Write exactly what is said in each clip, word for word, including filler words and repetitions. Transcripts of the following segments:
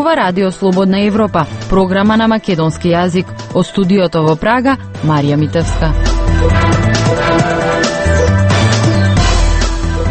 ова Радио Слободна Европа, програма на македонски јазик. Од студиото во Прага, Марија Митевска.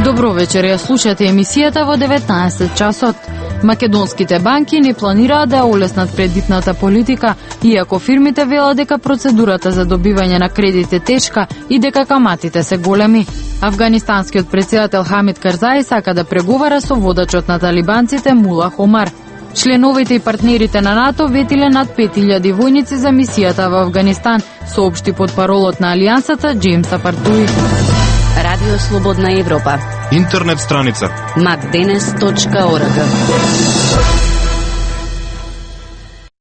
Добро вечер, ја слушате емисијата во деветнаесет часот. Македонските банки не планираат да олеснат кредитната политика, иако фирмите велат дека процедурата за добивање на кредит е тешка и дека каматите се големи. Афганистанскиот претседател Хамид Карзаи сака да преговара со водачот на талибанците Мула Омар. Членовите и партнерите на НАТО ветиле над пет илјади војници за мисијата во Афганистан, соопшти потпаролот на Алијансата Џејмс Апартуи. Радио Слободна Европа. Интернет страница макденес точка орг.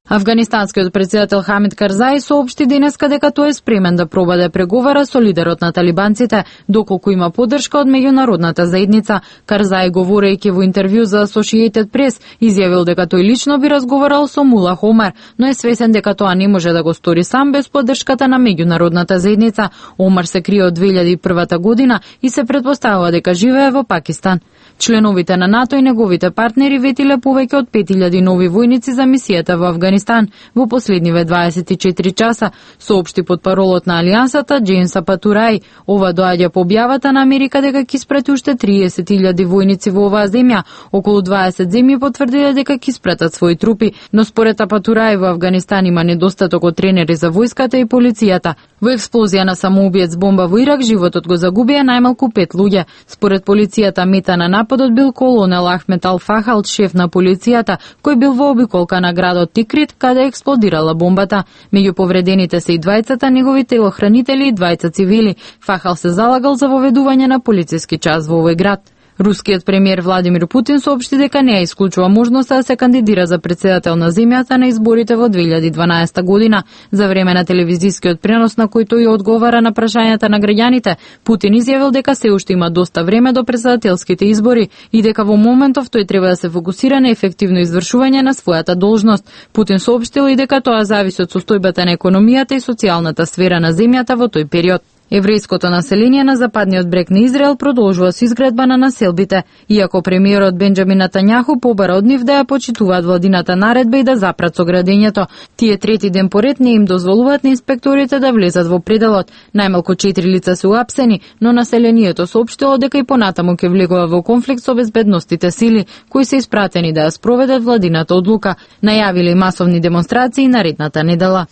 Афганистанскиот претседател Хамид Карзаи соопшти денеска дека тој е спремен да проба да преговара со лидерот на талибанците, доколку има поддршка од меѓународната заедница. Карзаи, говорејќи во интервју за Associated Press, изјавил дека тој лично би разговарал со Мула Омар, но е свесен дека тоа не може да го стори сам без поддршката на меѓународната заедница. Омар се крие од две илјади и прва година и се претпоставува дека живее во Пакистан. Членовите на НАТО и неговите партнери ветиле повеќе од пет илјади нови војници за мисијата во Афганистан во последниве дваесет и четири часа, соопшти потпаролот на Алијансата Џејмс Апартуи. Ова доаѓа по објавата на Америка дека ќе испрати уште триесет илјади војници во оваа земја. Околу дваесет земји потврдиле дека ќе испратат своји трупи, но според Апартуи во Афганистан има недостаток од тренери за војската и полицијата. Во експлозија на самоубиец бомба во Ирак животот го загубија најмалку пет луѓе. Според полицијата мета на нападот бил колонел Ахмед Ал-Фахал, шеф на полицијата, кој бил во обиколка на градот Тикрит, каде експлодирала бомбата. Меѓу повредените се и двајцата негови телохранители и двајца цивили. Фахал се залагал за воведување на полициски час во овој град. Рускиот премиер Владимир Путин соопшти дека не ја исклучува можноста да се кандидира за претседател на земјата на изборите во две илјади и дванаесета година. За време на телевизискиот пренос на кој тој одговара на прашањата на граѓаните, Путин изјавил дека се уште има доста време до претседателските избори и дека во моментов тој треба да се фокусира на ефективно извршување на својата должност. Путин соопштил и дека тоа зависи од состојбата на економијата и социјалната сфера на земјата во тој период. Еврејското население на западниот брег на Израел продолжува со изградба на населбите, иако премиерот Бенџамин Нетањаху побара од нив да ја почитуваат владината наредба и да запрат со градењето. Тие трети ден поред не им дозволуваат на инспекторите да влезат во пределот. Најмалку четири лица се уапсени, но населението соопштило дека и понатаму ќе влегува во конфликт со безбедностите сили, кои се испратени да ја спроведат владината одлука. Најавиле масовни демонстрации наредната недела.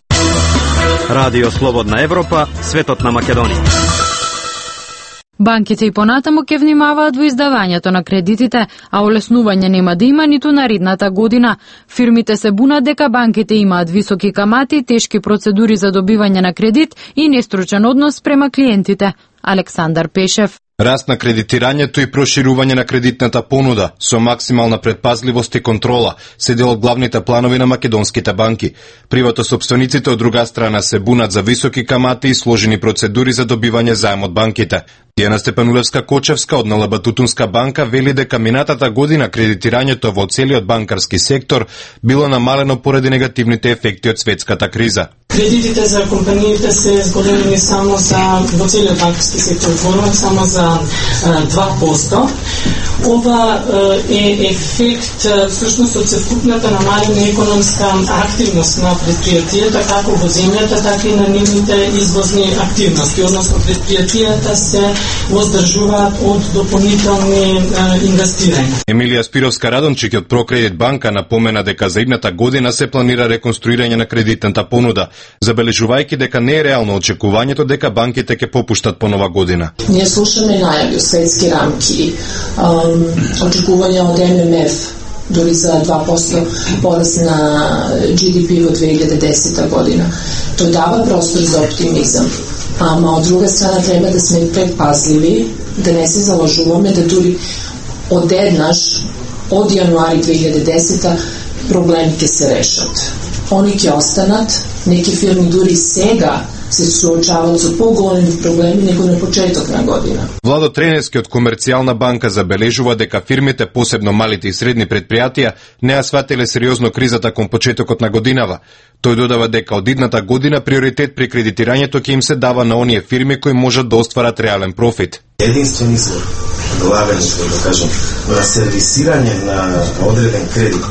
Радио Слободна Европа, светот на Македонија. Банките и понатаму ќе внимаваат во издавањето на кредитите, а олеснување нема да има ниту наредната година. Фирмите се бунат дека банките имаат високи камати, тешки процедури за добивање на кредит и нестручен однос спрема клиентите. Александар Пешев. Раст на кредитирањето и проширување на кредитната понуда со максимална предпазливост и контрола се дел од главните планови на македонските банки. Приватосопствениците од друга страна се бунат за високи камати и сложени процедури за добивање заем од банките. Дијана Степанулевска-Кочевска од НЛБ Тутунска банка вели дека минатата година кредитирањето во целиот банкарски сектор било намалено поради негативните ефекти од светската криза. Кредитите за компаниите се зголемени само за во целиот банкарски сектор, зборувам само за два проценти. Ова е ефект всушност од севкупната намалена економска активност на предпријатијата, како во земјата, така и на нивните извозни активности, односно предпријатијата се воздржуваат од дополнителни инвестирања. Емилија Спировска-Радончик од Прокредит банка напомена дека за идната година се планира реконструирање на кредитната понуда, забележувајќи дека не е реално очекувањето дека банките ќе попуштат по нова година. Ние слушаме најави од светски рамки, очекувања од Ем Ем Еф, дори за два проценти пораст на Джи Ди Пи во две илјади и десета година. Тој дава простор за оптимизам, ама од друга страна треба да сме предпазливи, да не се залажуваме да дури одеднаш од јануари две илјади и десета проблеми ќе се решат. Они ќе останат, неки фирми дури сега се соочаваат со поголеми проблеми него на почеток на година. Владо Тренески од Комерцијална банка забележува дека фирмите, посебно малите и средни предпријатија, не ја сватиле сериозно кризата кон почетокот на годинава. Тој додава дека од идната година приоритет при кредитирањето ќе им се дава на оние фирми кои можат да остварат реален профит. Единствен извор, главен, што да кажам, на сервисирање на одреден кредит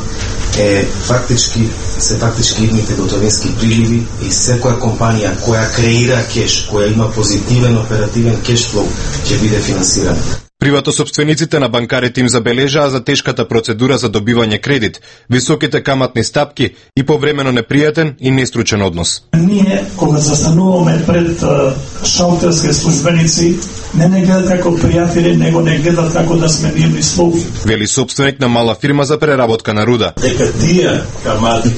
е фактички се фактички идните готовински приливи и секоја компанија која креира кеш, која има позитивен оперативен кешфлоу ќе биде финансирана. Приватосопствениците на банкарите им забележаа за тешката процедура за добивање кредит, високите каматни стапки и повремено непријатен и нестручен однос. Ние, кога застануваме пред шалтерски службеници, не не гледат како пријатели, него не гледат како да сме мирни слуги. Вели собственик на мала фирма за преработка на руда. Дека тие камати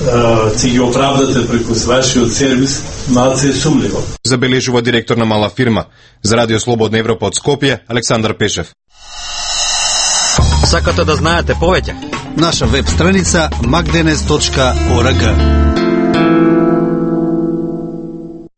ќе ги оправдате преку вашиот сервис, малце е сумливо. Забележува директор на мала фирма. За Радио Слободна Европа од Скопје, Александар Пешев. Сакате да знаете повеќе? Наша веб страница макденес точка орг.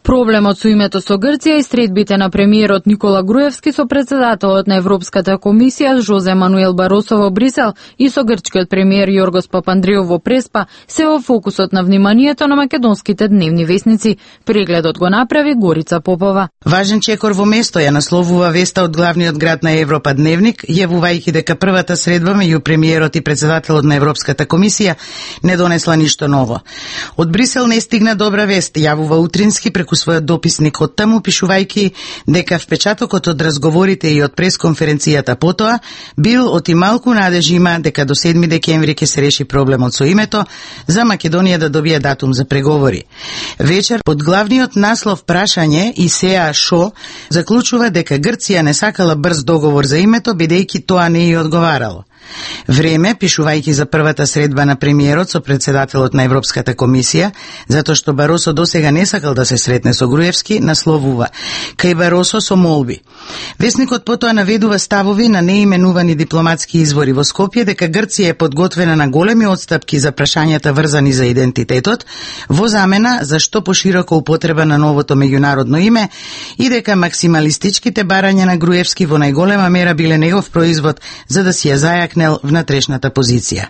Проблемот со името со Грција и средбите на премиерот Никола Груевски со председателот на Европската комисија Жозе Мануел Баросо во Брисел и со грчкиот премиер Јоргос Папандреou во Преспа се во фокусот на вниманието на македонските дневни весници. Прегледот го направи Горица Попова. Важен чекор во место ја насловува веста од главниот град на Европа Дневник, јавувајќи дека првата средба меѓу премиерот и председателот на Европската комисија не донесла ништо ново. Од Брисел не стигна добра вест, јавува утрински преку својот дописник од таму, пишувајќи дека впечатокот од разговорите и од пресконференцијата потоа бил од и малку надежи има дека до седми декември ќе се реши проблемот со името за Македонија да добие датум за преговори. Вечер под главниот наслов прашање и сеа шо заклучува дека Грција не сакала брз договор за името бидејќи тоа не ја одговарало. Време, пишувајќи за првата средба на премиерот со председателот на Европската комисија, затоа што Баросо досега не сакал да се сретне со Груевски, насловува кај Баросо со молби. Весникот потоа наведува ставови на неименувани дипломатски извори во Скопје дека Грција е подготвена на големи отстапки за прашањата врзани за идентитетот, во замена за што поширока употреба на новото меѓународно име и дека максималистичките барања на Груевски во најголема мера биле негов производ за да си ја зајакнел внатрешната позиција.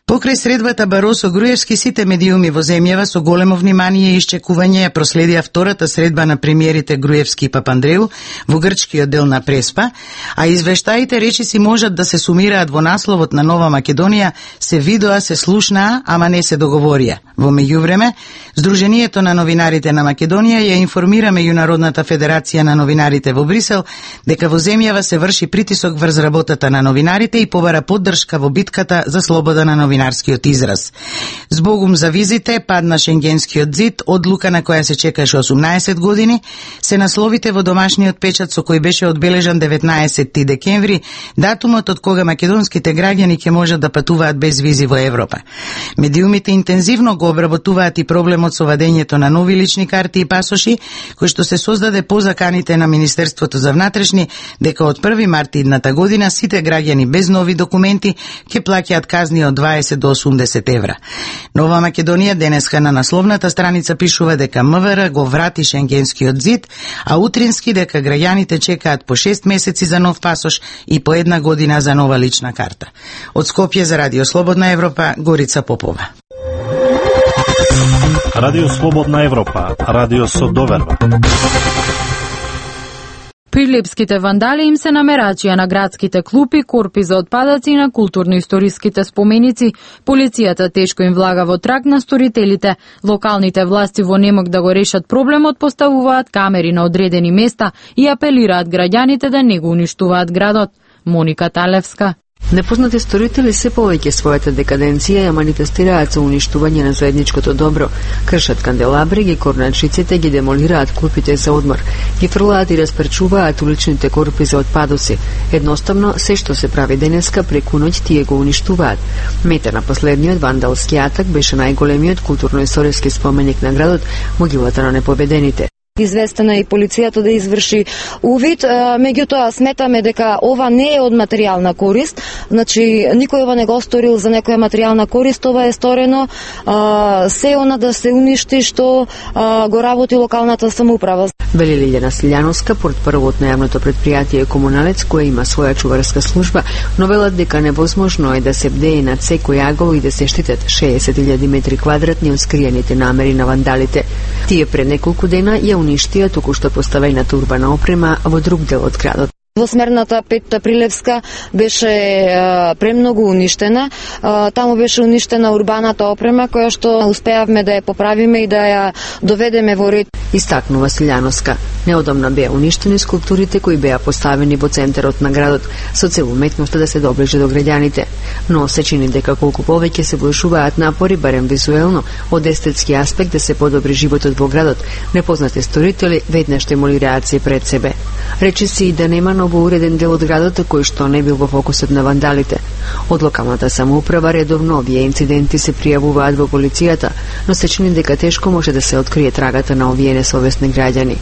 Покрај средбата Баросо Груевски, сите медиуми во земјава со големо внимание и исчекување ја проследија втората средба на премиерите Груевски и Папандреou во грчкиот дел на Преспа, а извештаите речиси можат да се сумираат во насловот на Нова Македонија, се видоа, се слушнаа, ама не се договорија. Во меѓувреме, Сдруженијето на новинарите на Македонија ја информира Меѓународната федерација на новинарите во Брисел дека во земјава се врши притисок врз работата на новинарите и побара поддршка во битката за слобода на новинарскиот израз. Збогум за визите, падна Шенгенскиот зид, одлука на која се чекаше осумнаесет години, се насловите во домашниот печат со кој беше одбележан деветнаесетти декември, датумот од кога македонските граѓани ќе можат да патуваат без визи во Европа. Медиумите интензивно го обработуваат и проблемот со вадењето на нови лични карти и пасоши, кој што се создаде по заканите на Министерството за внатрешни, дека од први март идната година сите граѓани без нови документи ќе плаќаат казни од дваесет до осумдесет евра. Нова Македонија денеска на насловната страница пишува дека МВР го врати Шенгенскиот зид, а утрински дека граѓаните чекаат по шест месеци за нов пасош и по една година за нова лична карта. Од Скопје за Радио Слободна Европа, Горица Попова. Радио Слободна Европа, радио со доверба. Прилепските вандали им се намерачија на градските клупи, корпи за отпадаци и на културно-историските споменици. Полицијата тешко им влага во траг на сторителите. Локалните власти во немок да го решат проблемот поставуваат камери на одредени места и апелираат граѓаните да не го уништуваат градот. Моника Талевска. Непознати сторители се повеќе својата декаденција ја манифестираат со уништување на заедничкото добро. Кршат канделабри, ги корнат шиците, ги демолираат клупите за одмор, ги фрлаат и расперчуваат уличните корпи за отпадоци. Едноставно, се што се прави денеска преку ноќ тие го уништуваат. Мета на последниот вандалски атак беше најголемиот културно-историски споменик на градот, могилата на непобедените. Известена и полицијата да изврши увид, меѓутоа сметаме дека ова не е од материјална корист, значи никој ова не го сторил за некоја материјална корист, ова е сторено а, се она да се уништи што а, го работи локалната самоуправа. Вели Лилјана Силјановска, портпаролот на јавното предпријатие Комуналец, која има своја чуварска служба, но велат дека невозможно е да се бдее над секој агол и да се штитат шеесет илјади метри квадратни од скриените намери на вандалите. Тие пред неколку дена ја уништија току што поставената урбана опрема во друг дел од градот. Двосмерната Петта Прилевска беше е, премногу уништена. Е, таму беше уништена урбаната опрема која што успеавме да ја поправиме и да ја доведеме во ред. Истакнува Силјановска. Неодамна беа уништени скулптурите кои беа поставени во центарот на градот со цел уметноста да се доближи до граѓаните. Но се чини дека колку повеќе се вложуваат напори, барем визуелно, од естетски аспект да се подобри животот во градот, непознати сторители веднаш имали реакции пред себе. Рече си и да нема ново уреден дел од градот кој што не бил во фокусот на вандалите. Од локалната самоуправа редовно овие инциденти се пријавуваат во полицијата, но се чини дека тешко може да се открие трагата на овие несовесни граѓани.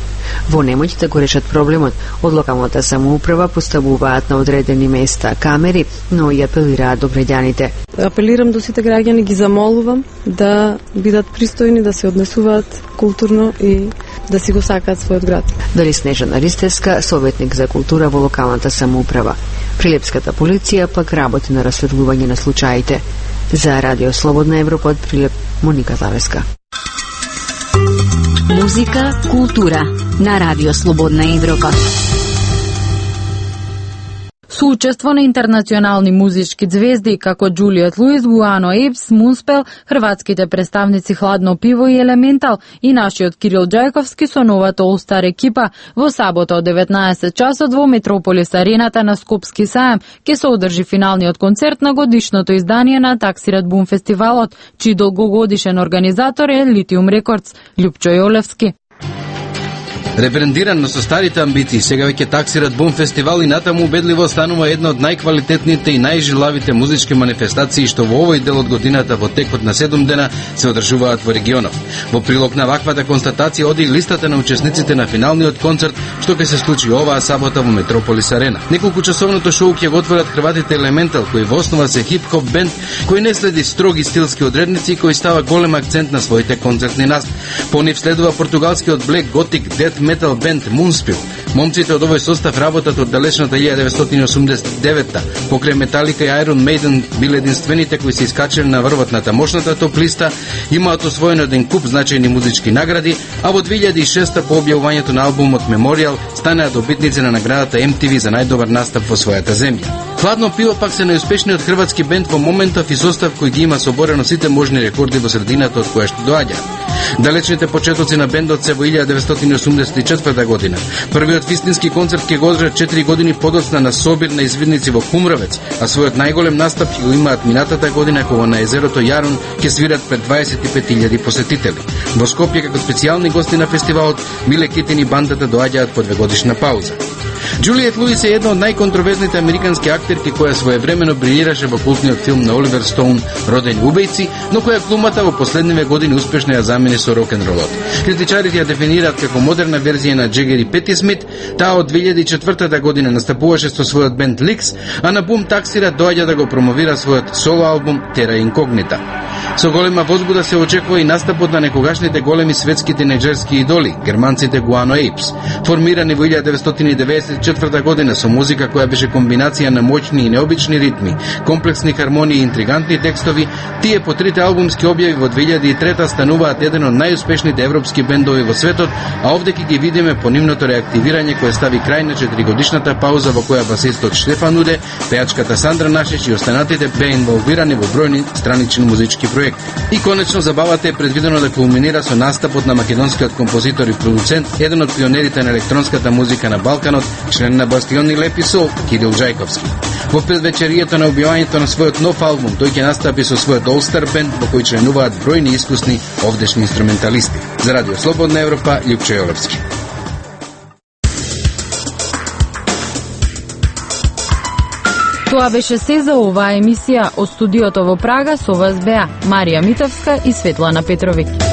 Во немоќ да го решат проблемот, од локалната самоуправа поставуваат на одредени места камери, но и апелираат до граѓаните. Апелирам до сите граѓани, ги замолувам да бидат пристојни, да се однесуваат културно и да си го сакаат својот град. Дали Снежана Ристевска, советник за култура во локалната самоуправа. Прилепската полиција пак работи на расветлување на случаите. За Радио Слободна Европа од Прилеп, Моника Завеска. Музика, култура на Радио Слободна Европа. Суучество на интернационални музички звезди како Џулиет Луис, Гуано Ейпс, Мунспел, хрватските представници Хладно пиво и Елементал и нашиот Кирил Џајковски со новата All-Star екипа во сабота од деветнаесет часот во Метрополис арената на Скопски сајам ќе се одржи финалниот концерт на годишното издание на Таксират Бум фестивалот, чиј долгогодишен организатор е Литиум Рекордс, Љупчо Јолевски. Ребрендиран со старите амбиции, сега веќе Таксират Бум фестивал и натаму убедливо станува една од најквалитетните и најжилавите музички манифестации што во овој дел од годината во текот на седум дена се одржуваат во регионот. Во прилог на ваквата констатација оди листата на учесниците на финалниот концерт што ќе се случи оваа сабота во Метрополис арена. Неколку часовното шоу ќе го отворат хрватите Елементал, кој во основа се хип-хоп бенд кој не следи строги стилски одредници и кој става голем акцент на своите концертни настапи. По нив следува португалскиот Black Gothic Death метал бенд Мунспел. Момците од овој состав работат од далечната илјада деветстотини осумдесет и девета. Покрај Металика и Iron Maiden биле единствените кои се искачале на врвот на тамошната топ листа, имаат освоено еден куп значајни музички награди, а во две илјади и шеста по објавувањето на албумот Memorial станаа добитници на наградата Ем Ти Ви за најдобар настап во својата земја. Хладно пиво пак се најуспешниот хрватски бенд во моментов и состав кој ги има соборено сите можни рекорди во средината од која што доаѓа. Далечните почетоци на бендот се во илјада деветстотини осумдесет и четврта година. Првиот вистински концерт ќе го одржат четири години подоцна на собир на извидници во Кумравец, а својот најголем настап ќе го имаат минатата година кога на езерото Јарун ќе свират пред дваесет и пет илјади посетители. Во Скопје како специјални гости на фестивалот Миле Китин и бандата доаѓаат по двегодишна пауза. Џулиет Луис е една од најконтроверзните американски актерки која своевремено брилираше во култниот филм на Оливер Стоун Родени убијци, но која глумата во последниве години успешно ја замени со рок-н-ролот. Критичарите ја дефинираат како модерна верзија на Джегер и Пети Смит. Таа од две илјади и четврта година настапуваше со својот бенд Ликс, а на Бум Таксират доаѓа да го промовира својот соло албум Тера Инкогнита. Со голема возбуда се очекува и настапот на некогашните големи светски тинеџерски идоли, германците Гуано Ейпс. Формирани во илјада деветстотини деветдесет и четврта година со музика која беше комбинација на моќни и необични ритми, комплексни хармонии и интригантни текстови, тие по трите албумски објави во две илјади и трета стануваат еден од најуспешните европски бендови во светот, а овде ќе ги видиме по нивното реактивирање кое стави крај на четиригодишната пауза во која басистот Штефан Уде, пејачката Сандра Нашич и останатите беа инволвирани во бројни странични музички проекти. И конечно забавата е предвидено да кулминира со настапот на македонскиот композитор и продуцент, еден од пионерите на електронската музика на Балканот, член на Бастион и Лепи Сол, Кирил Џајковски. Во предвечерието на објавањето на својот нов албум, тој ќе настапи со својот All-Star бенд во кој членуваат бројни искусни овдешни инструменталисти. За Радио Слободна Европа, Љупчо Јолевски. Тоа беше се за оваа емисија од студиото во Прага, со вас беа Марија Митовска и Светлана Петровиќ.